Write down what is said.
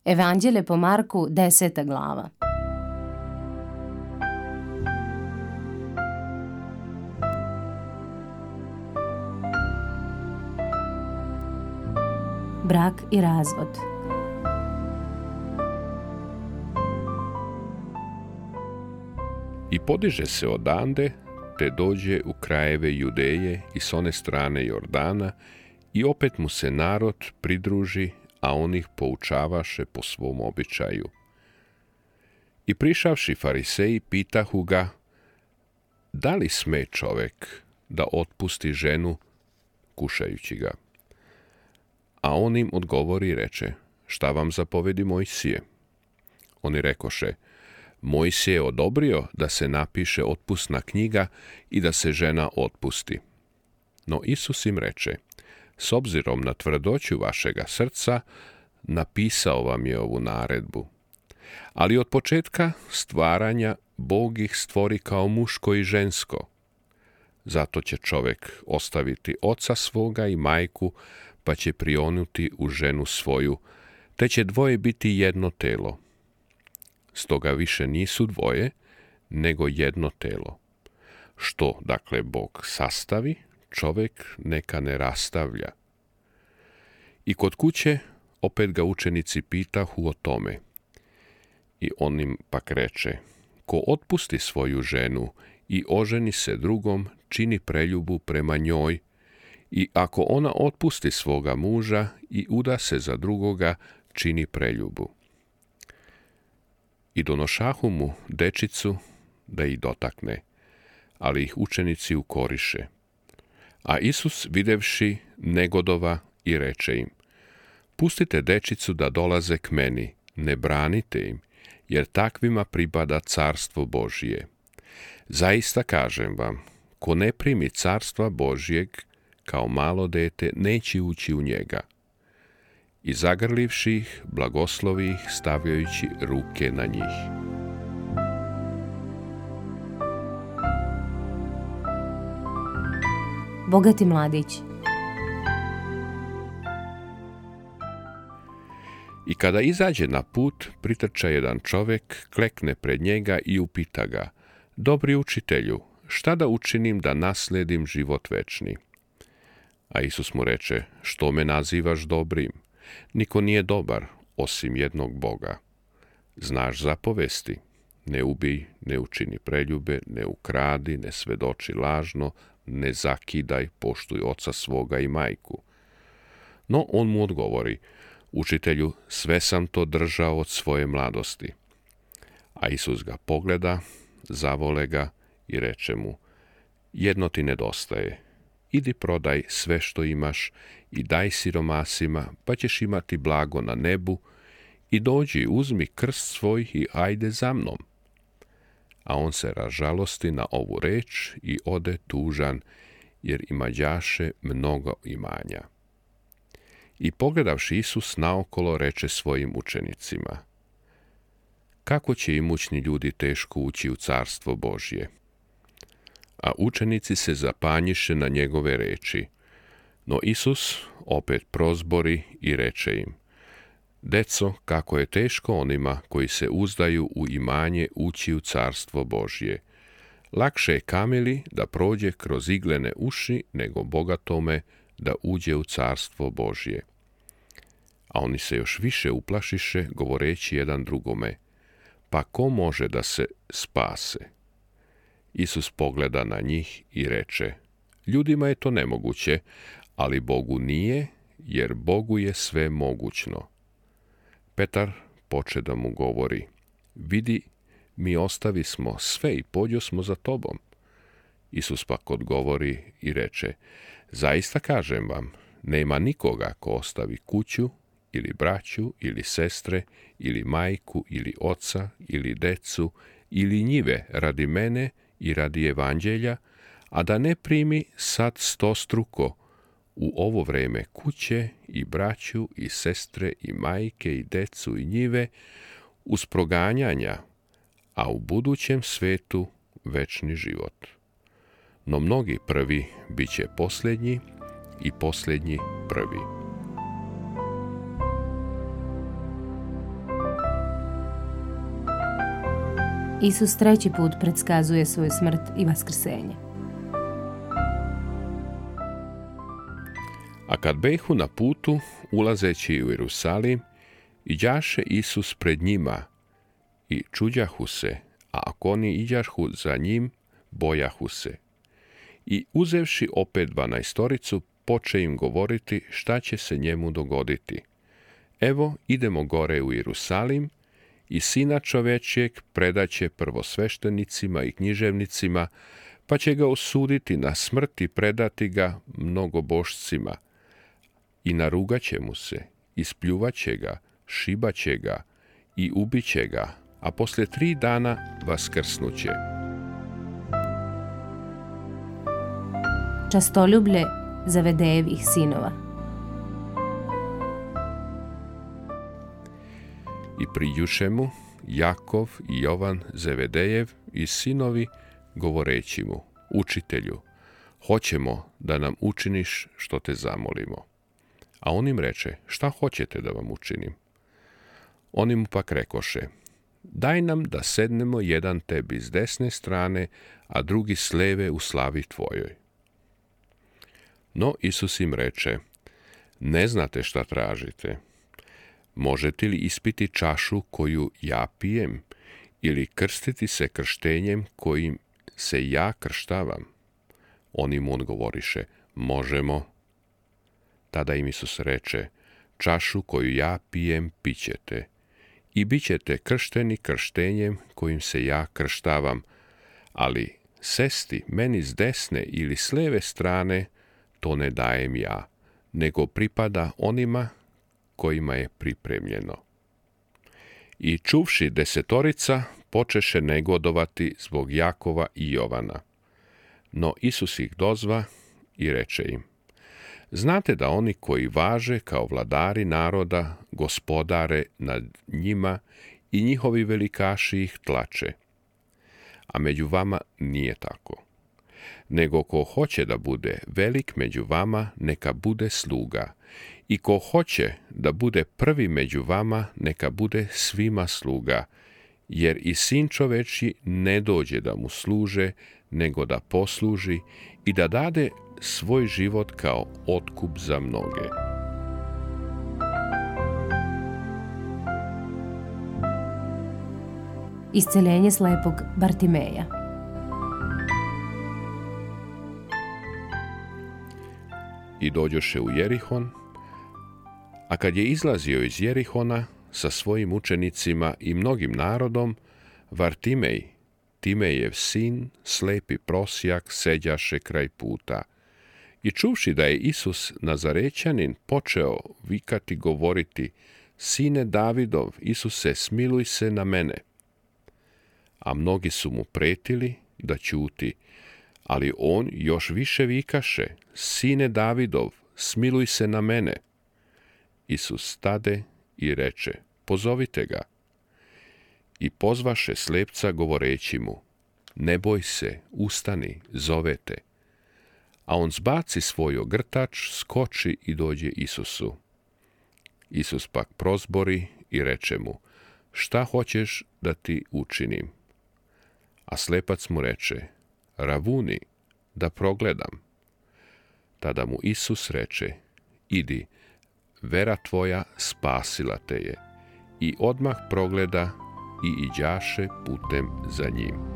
Evanđelje po Marku, 10. glava. Brak i razvod. I podiže se odande, te dođe u krajeve Judeje i s one strane Jordana, i opet mu se narod pridruži, a on ih poučavaše po svom običaju. I prišavši fariseji, pitahu ga, da li sme čovek da otpusti ženu, kušajući ga? A on im odgovori i reče, šta vam zapovedi Mojsije? Oni rekoše, Mojsije je odobrio da se napiše otpusna knjiga i da se žena otpusti. No Isus im reče, s obzirom na tvrdoću vašega srca, napisao vam je ovu naredbu. Ali od početka stvaranja Bog ih stvori kao muško i žensko. Zato će čovek ostaviti oca svoga i majku, pa će prionuti u ženu svoju, te će dvoje biti jedno telo. Stoga više nisu dvoje, nego jedno telo. Što, dakle, Bog sastavi, čovek neka ne rastavlja. I kod kuće opet ga učenici pitahu o tome. I on im pak reče, ko otpusti svoju ženu i oženi se drugom, čini preljubu prema njoj, i ako ona otpusti svoga muža i uda se za drugoga, čini preljubu. I donošahu mu dečicu da ih dotakne, ali ih učenici ukoriše. A Isus, videvši, negodova i reče im, pustite dečicu da dolaze k meni, ne branite im, jer takvima pripada carstvo Božije. Zaista kažem vam, ko ne primi carstva Božijeg, kao malo dete, neće ući u njega. I zagrlivši ih, blagoslovi ih, stavljajući ruke na njih. Bogati mladić. I kada izađe na put, pritrča jedan čovek, klekne pred njega i upita ga, dobri učitelju, šta da učinim da nasledim život večni? A Isus mu reče, što me nazivaš dobrim? Niko nije dobar, osim jednog Boga. Znaš zapovesti, ne ubij, ne učini preljube, ne ukradi, ne svedoči lažno, ne zakidaj, poštuj oca svoga i majku. No on mu odgovori, učitelju, sve sam to držao od svoje mladosti. A Isus ga pogleda, zavole ga i reče mu, jedno ti nedostaje. Idi prodaj sve što imaš i daj siromasima, pa ćeš imati blago na nebu, i dođi, uzmi krst svoj i ajde za mnom. A on se razžalosti na ovu reč i ode tužan, jer imađaše mnogo imanja. I pogledavši Isus naokolo, reče svojim učenicima, kako će imućni ljudi teško ući u carstvo Božje? A učenici se zapanjiše na njegove reči. No Isus opet prozbori i reče im, deco, kako je teško onima koji se uzdaju u imanje ući u carstvo Božje. Lakše je kamili da prođe kroz iglene uši, nego bogatome da uđe u carstvo Božje. A oni se još više uplašiše, govoreći jedan drugome, pa ko može da se spase? Isus pogleda na njih i reče, ljudima je to nemoguće, ali Bogu nije, jer Bogu je sve mogućno. Petar poče da mu govori, vidi, mi ostavi smo sve i pođo smo za tobom. Isus pak odgovori i reče, zaista kažem vam, nema nikoga ko ostavi kuću, ili braću, ili sestre, ili majku, ili oca, ili decu, ili njive radi mene i radi evanđelja, a da ne primi sad 100-struko u ovo vreme kuće i braću i sestre i majke i decu i njive uz proganjanja, a u budućem svetu večni život. No mnogi prvi bit će posljednji i posljednji prvi. Isus 3. put predskazuje svoju smrt i vaskrsenje. A kad behu na putu, ulazeći u Jerusalim, iđaše Isus pred njima i čuđahu se, a ako oni iđahu za njim, bojahu se. I uzevši opet 12, poče im govoriti šta će se njemu dogoditi. Evo, idemo gore u Jerusalim i Sina čovečjeg predaće prvosveštenicima i književnicima, pa će ga osuditi na smrt i predati ga mnogobošcima. I narugaće mu se, ispljuvaće ga, šibaće ga i ubiće ga, a poslije 3 dana vaskrsnuće. Častoljublje Zevedejevih sinova. I priđuše mu Jakov i Jovan Zevedejev i sinovi, govoreći mu: Učitelju, hoćemo da nam učiniš što te zamolimo. A on im reče: Šta hoćete da vam učinim? Oni mu pak rekoše: Daj nam da sednemo jedan tebi s desne strane, a drugi s leve u slavi tvojoj. No Isus im reče: Ne znate šta tražite. Možete li ispiti čašu koju ja pijem, ili krstiti se krštenjem kojim se ja krštavam? Oni mu odgovoriše: Možemo. Tada im Isus reče: Čašu koju ja pijem pićete i bit ćete kršteni krštenjem kojim se ja krštavam, ali sesti meni s desne ili s leve strane, to ne dajem ja, nego pripada onima kojima je pripremljeno. I čuvši 10, počeše negodovati zbog Jakova i Jovana. No Isus ih dozva i reče im: Znate da oni koji važe kao vladari naroda gospodare nad njima i njihovi velikaši ih tlače. A među vama nije tako. Nego ko hoće da bude velik među vama, neka bude sluga. I ko hoće da bude prvi među vama, neka bude svima sluga. Jer i Sin čovečji ne dođe da mu služe, nego da posluži i da dade svoj život kao otkup za mnoge. Isceljenje slepog Bartimeja. I dođoše u Jerihon, a kad je izlazio iz Jerihona sa svojim učenicima i mnogim narodom, Vartimej, Timejev sin, slepi prosjak, seđaše kraj puta. I čuvši da je Isus Nazarećanin, počeo vikati, govoriti: Sine Davidov, Isuse, smiluj se na mene. A mnogi su mu pretili da ćuti, ali on još više vikaše: Sine Davidov, smiluj se na mene. Isus stade i reče: Pozovite ga. I pozvaše slepca govoreći mu: Ne boj se, ustani, zove te. A on zbaci svoj ogrtač, skoči i dođe Isusu. Isus pak prozbori i reče mu: Šta hoćeš da ti učinim? A slepac mu reče: Ravuni, da progledam. Tada mu Isus reče: Idi, vera tvoja spasila te je. I odmah progleda i iđaše putem za njim.